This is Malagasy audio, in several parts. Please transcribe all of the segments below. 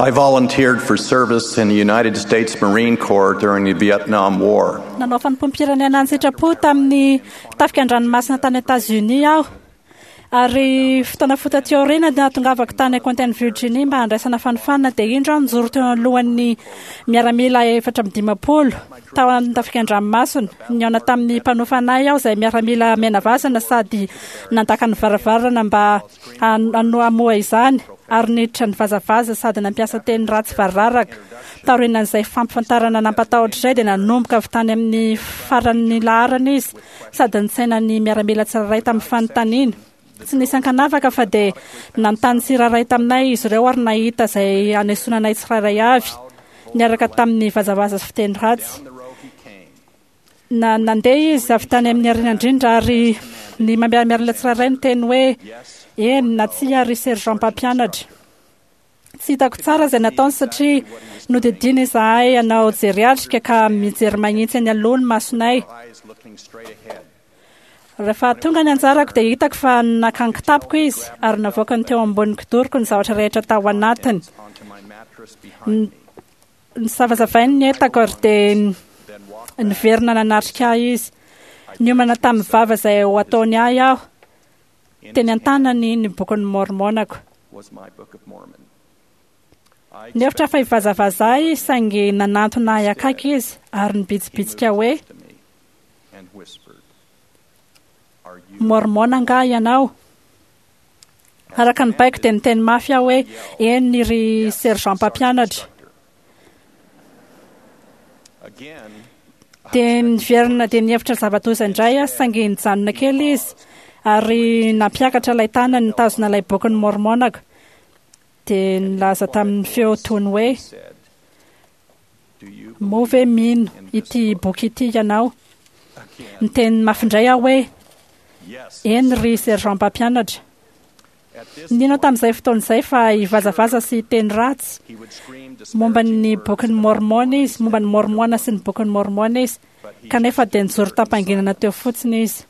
I volunteered for service in the United States Marine Corps during the Vietnam War. Nanao fanompoam-pirenena an-tsitrapo tamin'ny tafika an-dranomasina tany Etazonia aho. Ary fotoana fohy taty aoriana dia nahatongavako tany Quentin Virginia mba handraisana fanofanana dia indro aho nijoro teo anoloan'ny miaramila 54 tao amin'ny tafika an-dranomasina. Nihaona tamin'ny mpanofana ahy aho izay miaramila menavazana sady nandaka ny varavarana mba hamoha izany ary niditra nivazavaza sady nampiasa teny ratsy variraraka. Taorianan'izay fampifantarana nampatahotra izay dia nanomboka avy tany amin'ny faran'ny laharana izy sady nitsaina ny miaramila tsirairay tamin'ny fanontaniana. Tsy nisy ankanavaka fa dia nanontany tsirairay taminay izy ireo ary nahita izay hanesoana anay tsirairay avy, niaraka tamin'ny vazavaza sy fiteny ratsy. Na nandeha izy avy tany amin'ny aoriana indrindra ary ny miaramila tsirairay niteny hoe, Eny na tsia ry sergent mpampianatra. Tsy hitako tsara izay nataony satria nodidiana izahay hanao jery atrika ka mijery mahintsy eny aloha ny masonay. Rehefa tonga ny anjarako dia hitako fa naka ny kitapoko izy ary navoakany teo ambonin'ny kidoroko ny zavatra rehetra tao anatiny. Nisavasavainy ny entako ary dia niverina nanatrika ahy izy. Niomana tamin'ny vava izay ho ataony ahy aho. Teny an-tanany ny Bokin'i Môrmônako. Nihevitra fa hivazavaza ahy izy saingy nanantona ahy akaiky izy ary nibitsibitsika hoe, Môrmôna angaha ianao? Araka ny baiko dia niteny mafy aho hoe, Eny ry sergent mpampianatra. Dia niverina dia nihevitra zava-doza indray aho saingy nijanona kely izy ary nampiakatra ilay tanany nitazona ilay bokin'i Môrmônako dia nilaza tamin'ny feo tony hoe, Moa ve mino ity boky ity ianao? Niteny mafy indray aho hoe, Eny ry sergent mpampianatra. Nino aho tamin'izay fotoana izay fa hivazavaza sy hiteny ratsy momba ny Bokin'i Môrmôna izy, momba ny Môrmôna sy ny Bokin'i Môrmôna izy, kanefa dia nijoro tam-panginana teo fotsiny izy.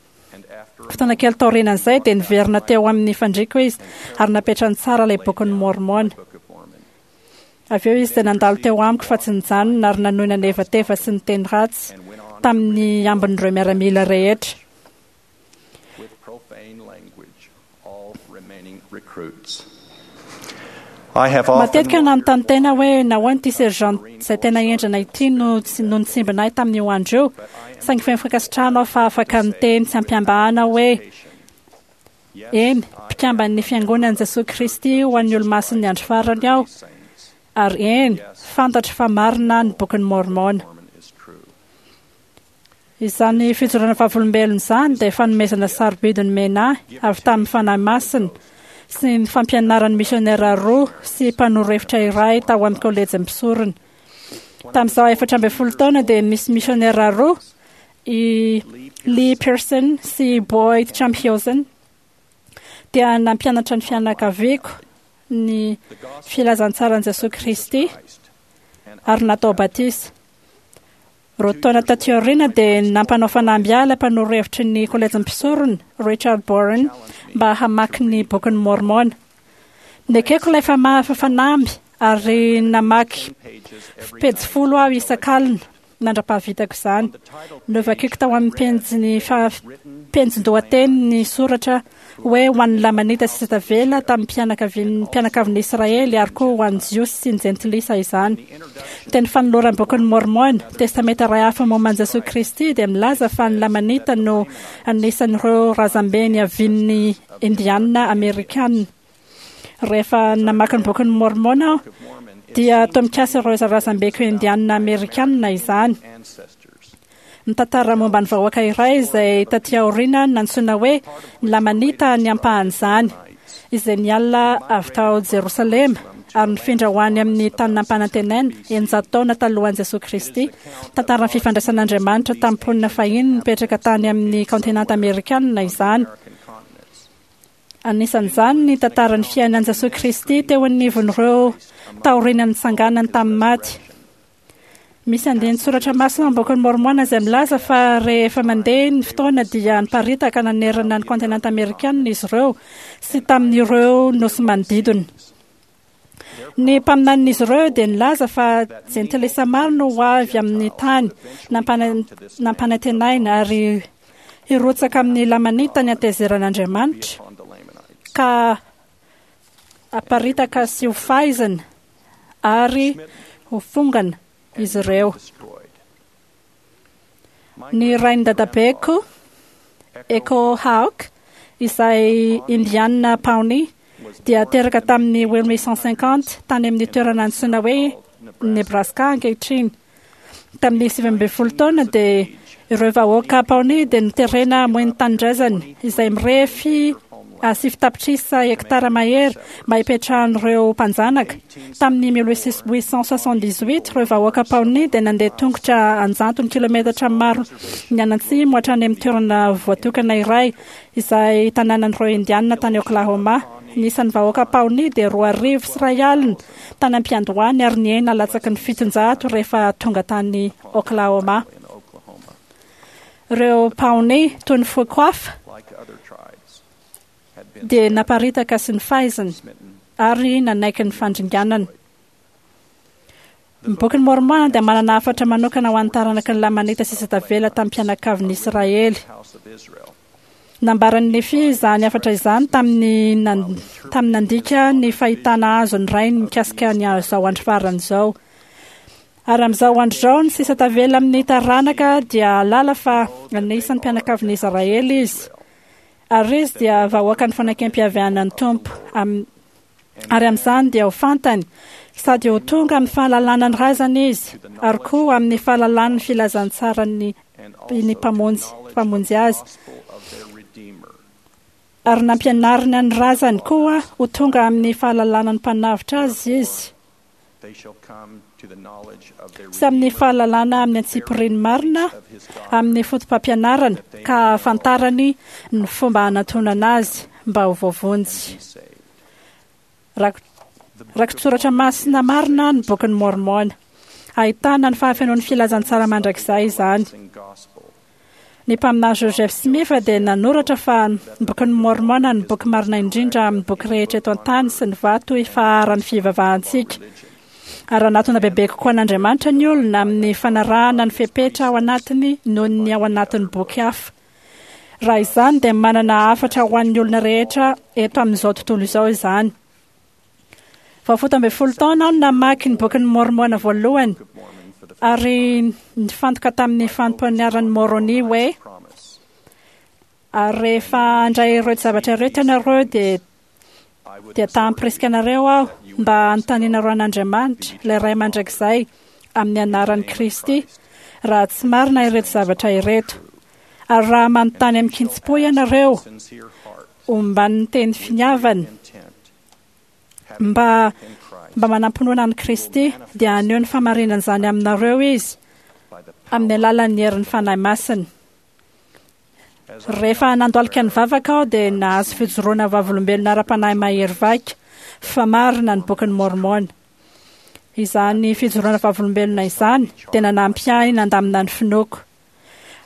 Fotoana kely taorianan'izay dia niverina teo amin'ny fandriako izy ary napetrany tsara ilay Bokin'i Môrmôna. Avy eo izy dia nandalo teo amiko fa tsy nijanona ary nanohy nanevateva sy niteny ratsy tamin'ny ambin'ireo miaramila rehetra. Matetika aho nanontany tena hoe nahoana ity sergent izay tena henjana ity no tsy no nitsimbina ahy tamin'io andro io, saingy feno fankasitrahana aho fa afaka niteny tsy am-pihambahana hoe, Eny, mpikamban'ny Fiangonan'i Jesoa Kristy ho an'ny Olomasin'ny Andro Farany aho, ary eny, fantatro fa marina ny Bokin'i Môrmôna. Izany fijoroana vavolombelona izany dia fanomezana sarobidy nomena ahy avy tamin'ny Fanahy Masina sy ny fampianaran'ny misiônera roa sy mpanoro hevitra iray tao amin'ny kôlejin'ny mpisorona. Tamin'izaho 14 taona dia nisy misiônera roa, i Lee Pearson sy Boyd Champhiosen, dia nampianatra ny fianakaviako ny filazantsaran'i Jesoa Kristy ary natao batisa. Roa taona taty aoriana dia nampanao fanamby ahy ilay mpanoro hevitry ny Kolejin'ny Mpisorona, Richard Boren, mba hamaky ny Bokin'i Môrmôna. Nekeko ilay fanamby ary namaky pejy folo aho isak'alina mandra-pahavitako izany. Novakiko tao amin'ny penjin'ny penjin-dohateny ny soratra hoe ho an'ny Lamanita sisa tavela tamin'ny mpianakavian'ny mpianakavin'i Israely ary koa ho an'ny Jiosy sy ny Jentilisa izany. Teny fanoloran'ny Bokin'i Môrmôna, Testamenta iray hafa momba an'i Jesoa Kristy, dia milaza fa ny Lamanita no anisan'ireo razambe niavian'ny Indiana Amerikana. Rehefa namaky ny Bokin'i Môrmôna aho, dia toa mikasa ireo razambeko Indiana Amerikana izany. Mitantara momba ny vahoaka iray izay tatỳ aoriana nantsoina hoe ny Lamanita ny ampahan'izany, izay niala avy tao Jerosalema ary nifindra ho any amin'ny Tany Nampanantenaina, 600 taona talohan'i Jesoa Kristy. Mitantara ny fifandraisan'Andriamanitra tamin'ny mponina fahiny nipetraka tany amin'ny kaontinanta amerikanina izany. Anisan'izany ny tantaran'ny fiainan'i Jesoa Kristy teo anivon'ireo taorian'ny nitsanganany tamin'ny maty. Misy andinin-tsoratra masina ao amin'ny Bokin'i Môrmôna izay milaza fa rehefa mandeha ny fotoana dia niparitaka nanerana ny kaontinanta amerikana izy ireo sy tamin'ireo nosy manodidina. Ny mpaminanin'izy ireo dia nilaza fa jentilisa maro no ho avy amin'ny tany nampanantenaina ary hirotsaka amin'ny Lamanita ny hatezeran'Andriamanitra ka haparitaka sy ho faizina ary ho fongana izy ireo. Ny rain'ny dadabeko, Echo Hawk, izay Indiana Pawnee, dia teraka tamin'ny 1850 tany amin'ny toerana antsoina hoe Nebraska ankehitriny. Tamin'ny 19 taona dia ireo vahoaka Pawnee dia noterena hamoy ny tanindrazany, izay mirefy 9 tapitrisa hektara mahery mba hipetrahan'ireo mpanjanaka. Tamin'ny 1878, ireo vahoaka Pawnee dia nandeha tongotra an-jatony kilometatra maro nianatsimo hatrany amin'ny toerana voatokana iray izay tanànan'ireo Indianina tany Oklahoma. Ny isan'ny vahoaka Pawnee dia 102 tany am-piandohany ary nihena latsaky ny 700 rehefa tonga tany Oklahoma. Ireo Pawnee, toy ny foko hafa, dia naparitaka sy nofaizina ary nanaiky ny fandringanana. Ny Bokin'i Môrmôna dia manana hafatra manokana ho an'ny taranaky ny Lamanita sisa tavela tamin'ny mpianakavin'i Israely. Nambaran'i Nefia izany hafatra izany tamin'ny tamin'ny nandika ny fahitana azon'ny rainy mikasika ny izao andro farany izao. Ary amin'izao andro izao ny sisa tavela amin'ny taranaka dia hahalala fa anisan'ny mpianakavin'i Israely izy. Ary izy dia vahoakan'ny fanekempihavanan'ny Tompo. Ary amin'izany dia ho fantany sady ho tonga amin'ny fahalalana ny razany izy, ary koa amin'ny fahalalany ny filazantsaran'ny ny Mpamonjy, Mpamonjy azy. Ary nampianarina ny razany koa ho tonga amin'ny fahalalana ny Mpanavotra azy izy, sy amin'ny fahalalana amin'ny antsipiriany marina amin'ny fotopampianarana, ka hahafantarany ny fomba hanantonana azy mba ho voavonjy. Rakitsoratra masina marina ny Bokin'i Môrmôna. Ahitana ny fahafenoan'ny filazantsara mandrakizay izany. Ny mpaminany Joseph Smith dia nanoratra fa ny Bokin'i Môrmôna no boky marina indrindra amin'ny boky rehetra eto an-tany sy ny vato ifaharan'ny fivavahantsika. Ary hanatona bebe kokoa an'Andriamanitra ny olona amin'ny fanarahana ny fepetra ao anatiny noho ny ao anatin'ny boky hafa. Raha izany dia manana hafatra ho an'ny olona rehetra eto amin'izao tontolo izao izany. Vao 17 taona aho no namaky ny Bokin'i Môrmôna voalohany ary nifantoka tamin'ny fampianaran'i Môrônia hoe, Ary rehefa handray ireo zavatra ireto ianareo dia dia ta hampirisika anareo aho mba hanontanianareo an'Andriamanitra, ilay Ray Mandrakizay, amin'ny anaran'i Kristy, raha tsy marina ireto zavatra ireto. Ary raha manontany amin-kitsim-po ianareo, omban'ny teny finiavana, mba mba manam-pinoana an'i Kristy, dia haneho ny fahamarinan'izany aminareo Izy, amin'ny alalan'ny herin'ny Fanahy Masina. Rehefa nandohalika nivavaka aho dia nahazo fijoroana vavolombelona ara-panahy mahery vaika fa marina ny Bokin'i Môrmôna. Izany fijoroana vavolombelona izany dia nanampy ahy nandamina ny finoako.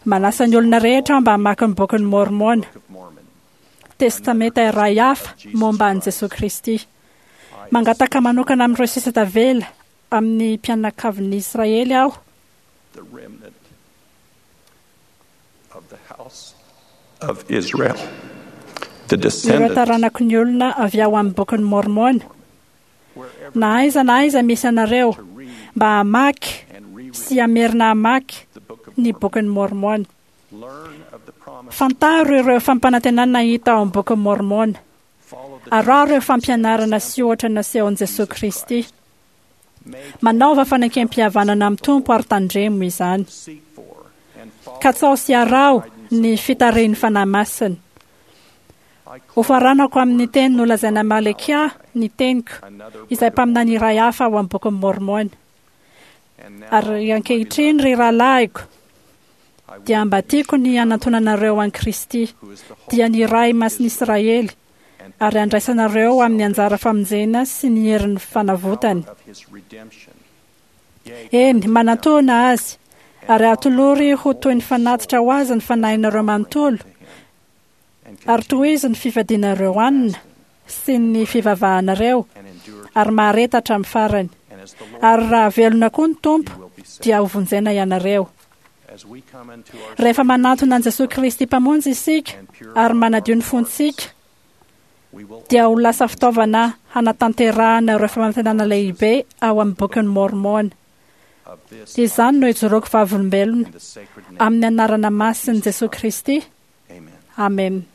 Manasa ny olona rehetra aho mba hamaky ny Bokin'i Môrmôna, testamenta iray hafa momba an'i Jesoa Kristy. Mangataka manokana amin'ireo sisa tavela amin'ny mpianakavin'i Israely aho of the house of Israel, the Ireo descendants taranaky ny olona avy ao amin'ny Bokin'i Môrmôna, na aiza na aiza misy anareo, mba hamaky sy hamerina hamaky ny Bokin'i Môrmôna. learn of the promise, Fantaro ireo fampanantenana hita ao amin'ny Bokin'i Môrmôna. follow the Araho ireo fampianarana sy ohatra nasehon'i Jesoa Kristy. Manaova fanekempihavanana amin'ny Tompo ary tandremo izany. seek for and follow Katsaho sy araho ny fitarihin'ny Fanahy Masina. Hofaranako amin'ny teny nolazaina Malekia ny teniko, izay mpaminany iray hafa ao amin'ny Bokin'i Môrmôna. and now Ary ankehitriny, ry rahalahiko, dia mba tiako ny hanantonanareo an'i Kristy, dia ny Ray Masin'i Israely, ary handraisanareo amin'ny anjara famonjena sy ny herin'ny fanavotany. of his redemption. Eny, manantona azy, ary atolory ho toy ny fanatitra ho azy ny fanahinareo manontolo, ary tohizo ny fifadianareo hanina. sy ny fivavahanareo ary mahareta hatramin'ny farany. Ary raha velona koa ny Tompo, dia hovonjena ianareo. Rehefa manantona an'i Jesoa Kristy Mpamonjy isika ary manadio ny fontsika, dia ho lasa fitaovana hanatanterahana ireo fanantenana lehibe ao amin'ny Bokin'i Môrmôna. Izany no ijoroako vavolombelona, amin'ny anarana masin'i Jesoa Kristy, amena.